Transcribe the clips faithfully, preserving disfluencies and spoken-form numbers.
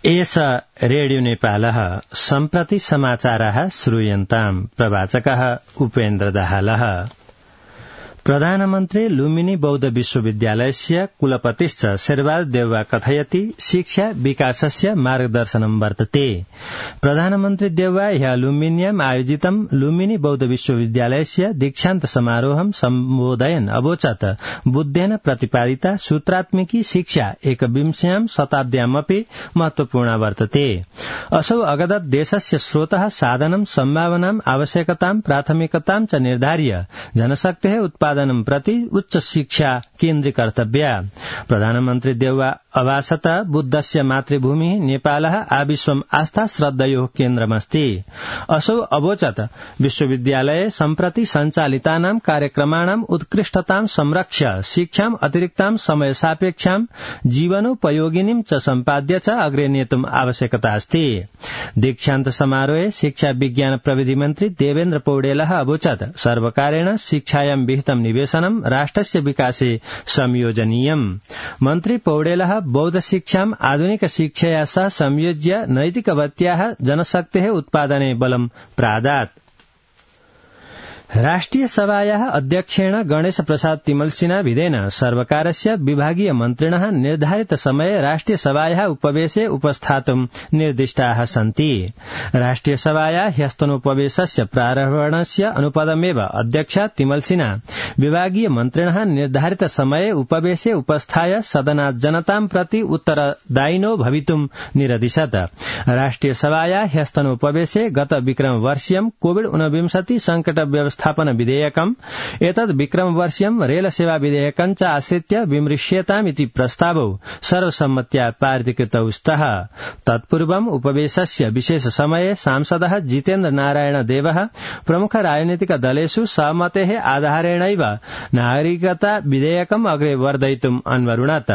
एष रेडियो नेपालः सम्प्रति समाचाराः श्रूयन्ताम्। प्रवाचकः उपेन्द्र दाहालः। प्रधानमन्त्री लुम्बिनी बौद्ध विश्वविद्यालयस्य कुलपतिश्च शेरबहादुर देउवा कथयति शिक्षा विकासस्य मार्गदर्शनं वर्तते। प्रधानमन्त्री देउवा ह्यः लुम्बिन्याम् आयोजितं लुम्बिनी बौद्ध विश्वविद्यालयस्य दीक्षान्त समारोहं सम्बोधयन् अवोचत् बुद्धेन प्रतिपादिता सूत्रात्मिकी शिक्षा एकविंश्यां शताब्द्यामपि महत्वपूर्णा वर्तते। असौ अगदत् देशस्य स्रोतः साधनं सम्भावनाम् आवश्यकतां प्राथमिकतां च निर्धार्य जनशक्तेः उत्पादनं प्रति उच्च शिक्षा केन्द्रीकर्तव्या। प्रधानमन्त्री देउवा अभाषत बुद्धस्य मातृभूमि नेपालः आविश्वम् आस्था श्रद्धयोः केन्द्रमस्ति। असौ अवोचत् विश्वविद्यालये सम्प्रति सञ्चालितानां कार्यक्रमाणाम् उत्कृष्टतां संरक्ष्य शिक्षाम् अतिरिक्तां समय सापेक्षां जीवनोपयोगिनीं च सम्पाद्य च अग्रे नेतुम् आवश्यकता अस्ति। दीक्षान्त समारोहे शिक्षा विज्ञान प्रविधि मन्त्री देवेन्द्र पौडेलः अवोचत् सर्वकारेण शिक्षायां विहितं निवेशनं राष्ट्रस्य विकासे संयोजनीयम्। मन्त्री पौडेलः बौद्ध शिक्षाम् आधुनिक शिक्षया सह संयोज्य नैतिकवत्याः जनशक्तेः उत्पादने बलं प्रादात्। राष्ट्रिय सभायाः अध्यक्षेण गणेश प्रसाद तिमल्सिना विधेन सर्वकारस्य विभागीय मन्त्रिणः निर्धारित समये राष्ट्रिय सभायाः उपवेशे उपस्थातुं निर्दिष्टाः सन्ति। राष्ट्रिय सभायाः ह्यस्तनोपवेशस्य प्रारम्भणस्य अनुपदमेव अध्यक्ष तिमल्सिना विभागीय मन्त्रिणः निर्धारित समये उपवेशे उपस्थाय सदनात् जनतां प्रति उत्तरदायिनो भवितुं निरदिशत्। राष्ट्रिय सभायाः ह्यस्तनोपवेशे गत विक्रमवर्षीयं कोविड ऊनविंशति संकट व्यवस्थापन विधेयकम् एतद् विक्रमवर्षीयं रेल सेवा विधेयकं च आश्रित्य विमृश्येतामिति प्रस्तावौ सर्वसम्मत्या पारितकृतौ स्तः। तत्पूर्वम् उपवेशस्य विशेष समये सांसदः जितेन्द्र नारायण देवः प्रमुख राजनीतिक दलेषु सहमतेः आधारेणैव नागरिकता विधेयकम् अग्रे वर्धयितुम् अन्वरुणत्।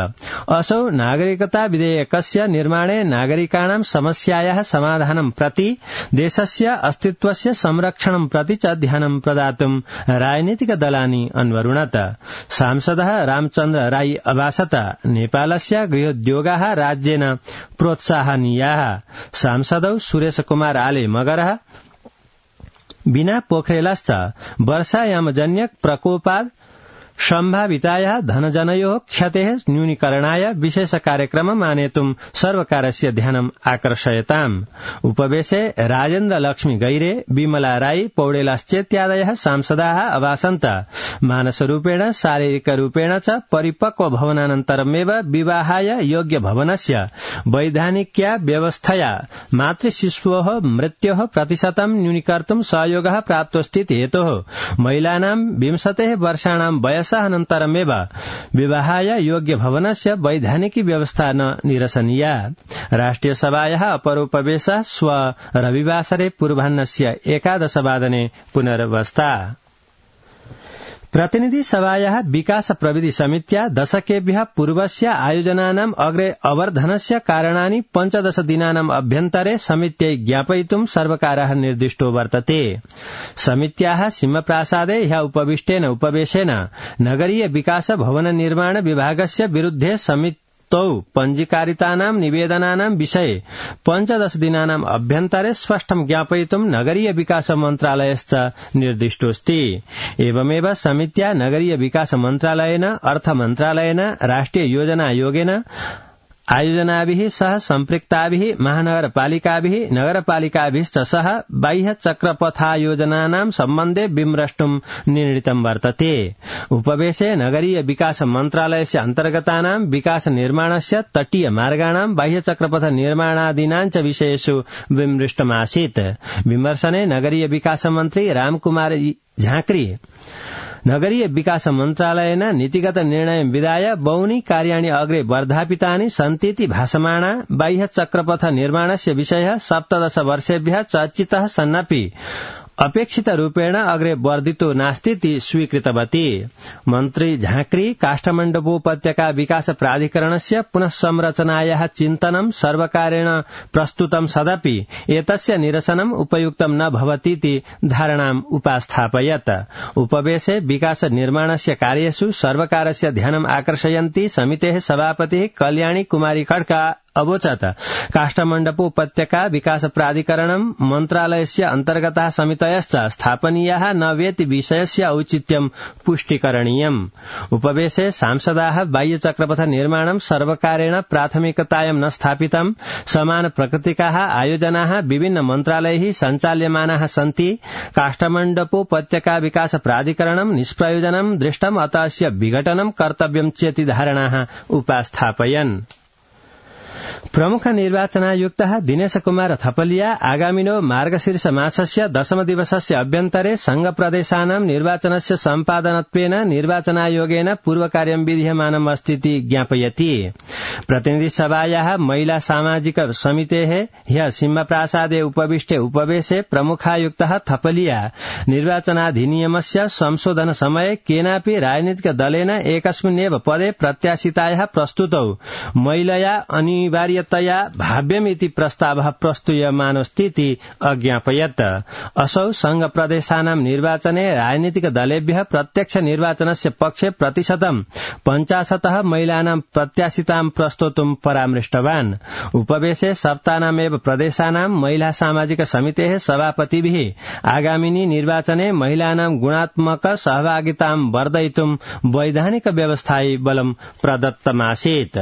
असौ नागरिकता विधेयकस्य निर्माणे नागरिकाणां समस्यायाः समाधानं प्रति देशस्य अस्तित्वस्य संरक्षणं प्रति च ध्यानं प्रदातुं राजनीतिक दलानि अन्वरुणत्। सांसदः रामचन्द्र राई अभाषत नेपालस्य गृहोद्योगाः राज्येन प्रोत्साहनीयाः। सांसदौ सुरेश कुमार आले मगरः बिना पोखरेलश्च वर्षायामजन्य प्रकोपात् सम्भावितायाः धनजनयोः क्षतेः न्यूनीकरणाय विशेष कार्यक्रमम् आनेतुं सर्वकारस्य ध्यानम् आकर्षयताम्। उपवेशे राजेन्द्र लक्ष्मी गैरे, विमला राई, पौडेलश्चेत्यादयः सांसदाः अभाषन्त। मानसरूपेण शारीरिकरूपेण च परिपक्व भवनानन्तरमेव विवाहाय योग्य भवनस्य वैधानिक्या व्यवस्थया मातृशिशोः मृत्योः प्रतिशतं न्यूनीकर्तुं सहयोगः प्राप्तोऽस्तीति हेतोः महिलानां विंशतेः वर्षाणां वयस अनन्तरमेव विवाहाय योग्य भवनस्य वैधानिकी व्यवस्था न निरसनीया। राष्ट्रिय सभायाः अपरोपवेशः श्व रविवासरे पूर्वाह्नस्य एकादशवादने पुनर्वस्था। प्रतिनिधि सभायाः विकास प्रविधि समित्या दशकेभ्यः पूर्वस्य आयोजनानाम् अग्रे अवर्धनस्य कारणानि पञ्चदश दिनानाम् अभ्यन्तरे समित्यै ज्ञापयितुं सर्वकारः निर्दिष्टो वर्तते। समित्याः सिंहप्रासादे ह्यः उपविष्टेन उपवेशेन नगरीय विकास भवन निर्माण विभागस्य विरुद्धे समिति तौ पञ्जीकारितानां निवेदनानां विषये पञ्चदश दिनानाम् अभ्यन्तरे स्पष्टं ज्ञापयितुं नगरीय विकास मन्त्रालयश्च निर्दिष्टोऽस्ति। एवमेव समित्या नगरीय विकास मन्त्रालयेन, अर्थ मन्त्रालयेन, राष्ट्रिय योजना आयोगेन आयोजनाभिः सह सम्पृक्ताभिः महानगरपालिकाभिः नगरपालिकाभिश्च सह बाह्य चक्रपथायोजनानां सम्बन्धे विमृष्टुं निर्णीतं वर्तते। उपवेशे नगरीय विकास मन्त्रालयस्य अन्तर्गतानां विकास निर्माणस्य, तटीय मार्गाणां, बाह्य चक्रपथ निर्माणादीनां च विषयेषु विमृष्टमासीत्। विमर्शने नगरीय विकास मन्त्री रामकुमार झाँक्री नगरीय विकास मन्त्रालयेन नीतिगत निर्णय विधाय बहूनि कार्याणि अग्रे वर्धापितानि सन्तीति भासमाना बाह्य चक्रपथ निर्माणस्य विषयः सप्तदश वर्षेभ्यः चर्चितः सन्नपि अपेक्षित रूपेण अग्रे वर्धितो नास्तीति स्वीकृतवती। मन्त्री झाँक्री काष्ठमण्डपोपत्यका विकास प्राधिकरणस्य पुनः संरचनायाः चिन्तनं सर्वकारेण प्रस्तुतं सदपि एतस्य निरसनम् उपयुक्तं न भवतीति धारणाम् उपास्थापयत्। उपवेशे विकास निर्माणस्य कार्येषु सर्वकारस्य ध्यानम् आकर्षयन्ती समितेः सभापतिः कल्याणी कुमारी खड्का अवोचत् काष्ठमण्डपोपत्यका विकास प्राधिकरणं मन्त्रालयस्य अन्तर्गताः समितयश्च स्थापनीयाः न वेति विषयस्य औचित्यं पुष्टिकरणीयम्। उपवेशे सांसदाः बाह्यचक्रपथ निर्माणं सर्वकारेण प्राथमिकतायां न स्थापितं, समान प्रकृतिकाः आयोजनाः विभिन्न मन्त्रालयैः सञ्चाल्यमानाः सन्ति, काष्ठमण्डपोपत्यका विकास प्राधिकरणं निष्प्रयोजनं दृष्टम्, अतः अस्य विघटनं कर्तव्यं चेति धारणाः उपास्थापयन्। प्रमुख निर्वाचनायुक्तः दिनेश कुमार थपलिया आगामिनो मार्गशीर्ष मासस्य दशम दिवसस्य अभ्यन्तरे संघ प्रदेशानां निर्वाचनस्य सम्पादनत्वेन निर्वाचनायोगेन पूर्वकार्यं विधीयमानम् अस्तीति ज्ञापयति। प्रतिनिधि सभायाः महिला सामाजिक समितेः ह्यः सिंहप्रासादे उपविष्टे उपवेशे प्रमुखायुक्तः थपलिया निर्वाचनाधिनियमस्य संशोधन समये केनापि राजनीतिक दलेन एकस्मिन्नेव पदे प्रत्याशितायाः प्रस्तुतौ महिलया अनिवार्यतया भाव्यमिति प्रस्तावः प्रस्तूयमानोऽस्तीति अज्ञापयत्। असौ संघ प्रदेशानां निर्वाचने राजनीतिक दलेभ्यः प्रत्यक्ष निर्वाचनस्य पक्षे प्रतिशतं पञ्चाशतः महिलानां प्रत्याशितां प्रस्तोतुं परामृष्टवान्। उपवेशे सप्तानामेव प्रदेशानां महिला सामाजिक समितेः सभापतिभिः आगामिनि निर्वाचने महिलानां गुणात्मक सहभागितां वर्धयितुं वैधानिक व्यवस्थायै बलं प्रदत्तमासीत्।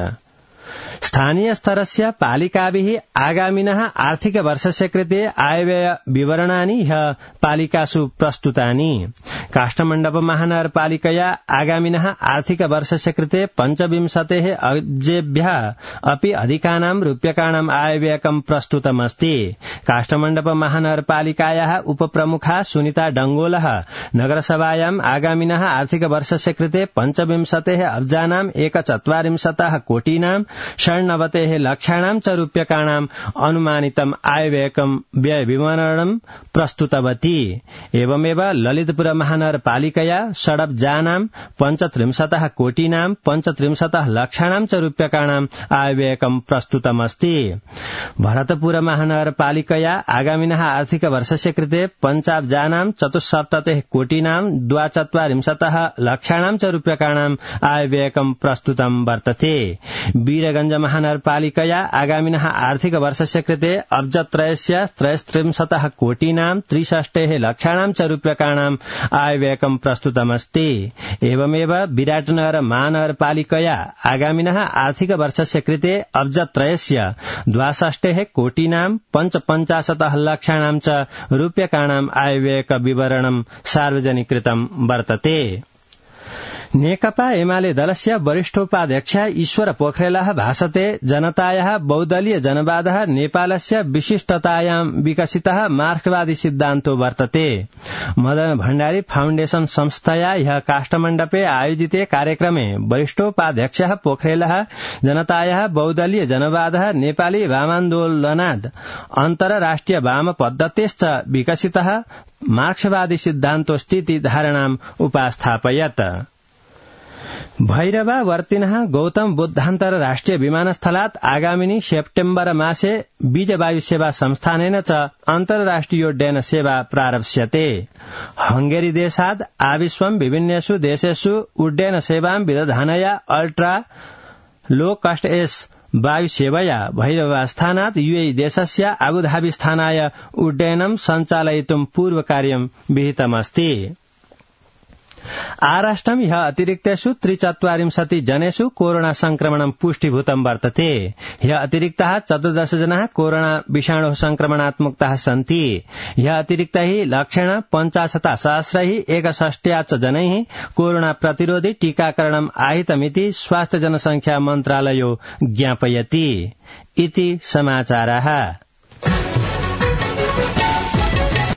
स्थानीय स्तरस्य पालिकाभिः आगामिनः आर्थिक वर्षस्य कृते आयव्यय विवरणानि ह्यः पालिकासु प्रस्तुतानि। काष्ठमण्डप महानगरपालिकया आगामिनः आर्थिक वर्षस्य कृते पञ्चविंशतेः अब्जेभ्यः अपि अधिकानां रूप्यकाणाम् आयव्ययकं प्रस्तुतमस्ति। काष्ठमण्डप महानगरपालिकायाः उपप्रमुखा सुनीता डंगोलः नगरसभायाम् आगामिनः आर्थिक वर्षस्य कृते पञ्चविंशतेः अब्जानाम् एकचत्वारिंशतः कोटीनां षण्णवतेः लक्षाणां च रूप्यकाणाम् अनुमानितम् आयव्ययकं व्यय विवरणं प्रस्तुतवती। एवमेव ललितपुर महानगरपालिकया षडब्जानां पञ्चत्रिंशतः कोटीनां पञ्चत्रिंशतः लक्षाणां च रूप्यकाणाम् आयव्ययकं प्रस्तुतमस्ति। भरतपुर महानगरपालिकया आगामिनः आर्थिक वर्षस्य कृते पञ्चाब्जानां चतुस्सप्ततिः कोटीनां द्वाचत्वारिंशतः लक्षाणां च रूप्यकाणाम् आयव्ययकं प्रस्तुतं वर्तते। वीरगंज महानगरपालिकया आगामिनः आर्थिक वर्षस्य कृते अब्जत्रयस्य त्रयस्त्रिंशतः कोटीनां त्रिषष्टेः लक्षाणां च रूप्यकाणाम् आयव्ययकं प्रस्तुतमस्ति। एवमेव विराटनगर महानगरपालिकया आगामिनः आर्थिक वर्षस्य कृते अब्जत्रयस्य द्वाषष्टेः कोटीनां पञ्चपञ्चाशतः लक्षाणां च रूप्यकाणाम् आयव्ययक विवरणं सार्वजनिकृतं वर्तते। नेकपा एमाले दलस्य वरिष्ठोपाध्यक्ष ईश्वर पोखरेलः भाषते जनतायाः बहुदलीय जनवादः नेपालस्य विशिष्टतायां विकसितः मार्क्सवादी सिद्धान्तो वर्तते। मदन भण्डारी फाउण्डेशन संस्थया ह्यः काष्ठमण्डपे आयोजिते कार्यक्रमे वरिष्ठोपाध्यक्षः पोखरेलः जनतायाः बहुदलीय जनवादः नेपाली वामान्दोलनाद् अन्तरराष्ट्रिय वाम पद्धतेश्च विकसितः मार्क्सवादी सिद्धान्तोऽस्तीति धारणाम् उपास्थापयत्। भैरवावर्तिनः गौतम बुद्धान्तरराष्ट्रिय विमानस्थलात् आगामिनि सेप्टेम्बर मासे बीजवायुसेवा संस्थानेन च अन्तर्राष्ट्रियोड्डयन सेवा प्रारप्स्यते। हंगेरी देशात् आविश्वं विभिन्नेषु देशेषु उड्डयन सेवां विदधानया अल्ट्रा लो कास्ट एस वायुसेवया भैरवस्थानात् यूएई देशस्य आबुधाबी स्थानाय उड्डयनं सञ्चालयितुं पूर्वकार्यं विहितमस्ति। आराष्ट्रं ह्यः अतिरिक्तेषु त्रिचत्वारिंशति जनेषु कोरोना संक्रमणं पुष्टिभूतं वर्तते। ह्यः अतिरिक्ताः चतुर्दश जनाः कोरोना विषाणोः संक्रमणात् मुक्ताः सन्ति। ह्यः अतिरिक्तैः लक्षेण पञ्चाशता सहस्रैः एकषष्ट्या च जनैः कोरोना प्रतिरोधि टीकाकरणम् आहितमिति स्वास्थ्य जनसंख्या मन्त्रालयो ज्ञापयति। इति समाचाराः।